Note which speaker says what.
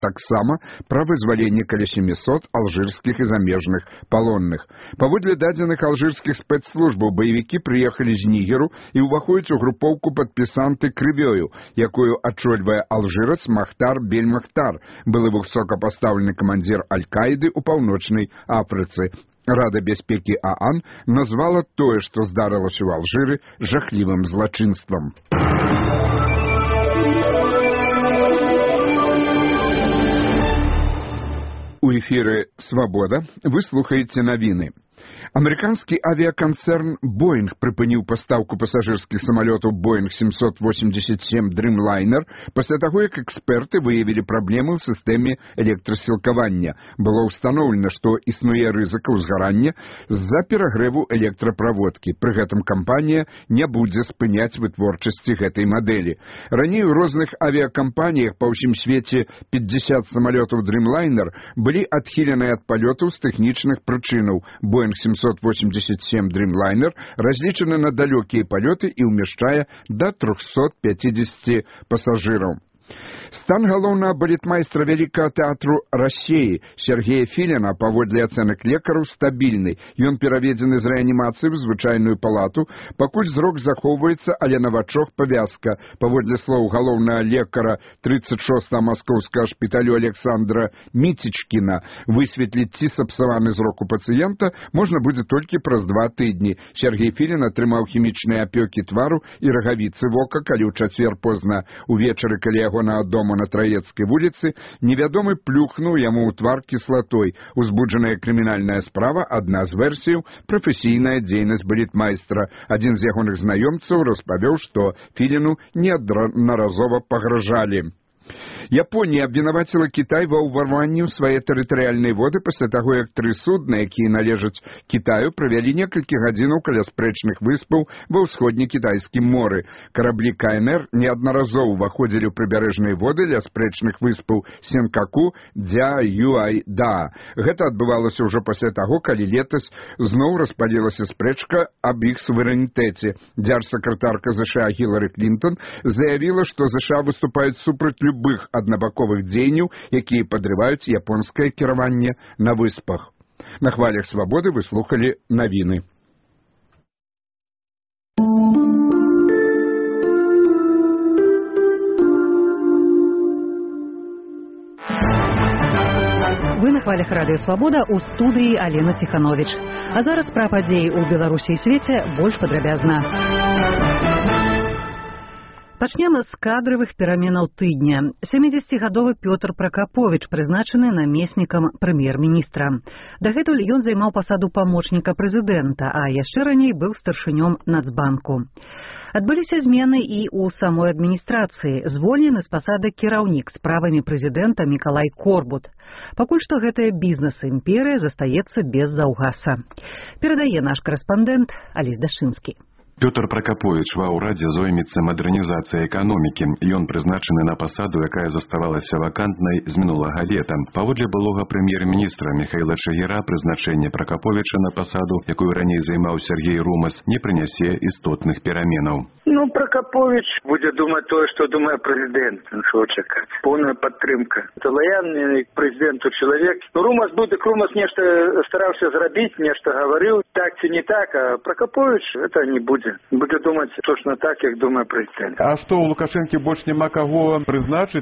Speaker 1: таксама пра вызваленне каля 700 алжырскіх і замежных палонных. Паводле дадзеных алжырскіх спецслужбаў баевікі прыехалі з Нігеру і ўваходзяць у групоўку падпісанты крывёю, якую ачольвае алжырац Махтар Бель-Махтар, былы высокапастаўлены камандзір Аль-Каіды ў Паўночнай Афрыцы. Рада бяспекі ААН назвала тое, што здарылася ў Алжыры, жахлівым злачынствам. У эфіры «Свабода» вы слухаеце навіны. Амерыканскі авіяканцэрн «Боинг» прыпыніў пастаўку пасажырскіх самалётаў «Боинг 787 Dreamliner пасля таго, як эксперты выявілі праблемы ў сістэме электрасілкавання. Было ўстаноўлена, што існуе рызыка ўзгарання з-за перагрэву электраправодкі. Пры гэтым кампанія не будзе спыняць вытворчасці гэтай мадэлі. Раней у розных авіякампаніях па ўсім свеце 50 самалётаў Dreamliner былі адхілены ад палётаў з тэхнічных прычынаў. «Боинг 787 Dreamliner разлічаны на далёкія палёты і ўмяшчае да 350 пасажыраў. Стан галоўнага балетмайстра Вялікага тэатру Расеі Сергея Філіна, паводле ацэнак лекараў, стабільны. Ён пераведзены з рэанімацыі ў звычайную палату, пакуль зрок захоўваецца, але на вачах павязка. Паводле слоў галоўнага лекара 36-го маскоўскага шпіталю Александра Міцічкіна, высветліць, ці сапсаваны зрок у пацыента можна будзе толькі праз 2 тыдні. Сергей Філін атрымаў хімічныя апёкі твару і рагавіцы вока, калі ў чацвер позна увечары, калі яго на дому на Траецкай вуліцы, невядомы плюхнуў яму ў твар кіслатой. Узбуджаная крымінальная справа, адна з версіяў – прафесійная дзейнасць балетмайстра. Адзін з ягоных знаёмцаў распавёў, што Філіну неаднаразова пагражалі. Японія абвінаваціла Кітай ва ўварванні ў свае тэрытарыяльныя воды пасля таго, як 3 судны, якія належаць Кітаю, правялі некалькі гадзінаў каля спрэчных выспаў ва ўсходне-кітайскім моры. Караблі КНР неаднаразова ўваходзілі ў прыбярэжныя воды ля спрэчных выспаў Сенкаку, Дзя, Юай, Да. Гэта адбывалася ўжо пасля таго, калі летась зноў распалілася спрэчка аб іх суверэнітэце. Дзярж-сакратарка ЗША Гілары Клінтон заявіла, што ЗША выступаюць супраць любых аднабаковых дзеянняў, якія падрываюць японскае кіраванне на выспах. На хвалях свабоды вы слухалі навіны.
Speaker 2: Вы на хвалях радыё «Свабода» у студыі Алена Ціхановіч. А зараз пра падзеі ў Беларусі і свеце больш падрабязна. Пачнем з кадравых пераменаў тыдня. 70-гадовы Пётр Пракаповіч прызначаны намеснікам прэм'ер-міністра. Дагэтуль ён займаў пасаду памочніка прэзідэнта, а яшчэ раней быў старшынём Нацбанку. Адбыліся змены і ў самой адміністрацыі. Звольнены з пасады кіраўнік справамі прэзідэнта Мікалай Корбут. Пакуль што гэтая бізнес-імперыя застаецца без заўгаса. Перадае наш карэспандэнт Алесь Дашынскі.
Speaker 3: Пётр Пракаповіч ва ўрадзе зоймецца мадэрнізацыяй эканомікі. Ён прызначаны на пасаду, якая заставалася вакантнай з мінулага лета. Паводле былога прэм'ер-міністра Міхаіла Чагіра прызначэнне Пракаповіча на пасаду, якую раней займаў Сергей Румас, не прынясе істотных пераменаў.
Speaker 4: Пракаповіч будзе думаць тое, што думае прэзідэнт. Чаго чакаць? Поўная падтрымка. Это лаяльны прэзідэнту чалавек. Румас нешта стараўся зрабіць, нешта гаварыў, так ці не так, а Пракаповіч это не будзе. Будзе думаць точно так, як думае прэзідэнт.
Speaker 5: А што, у Лукашэнкі больш няма каго прызначыць?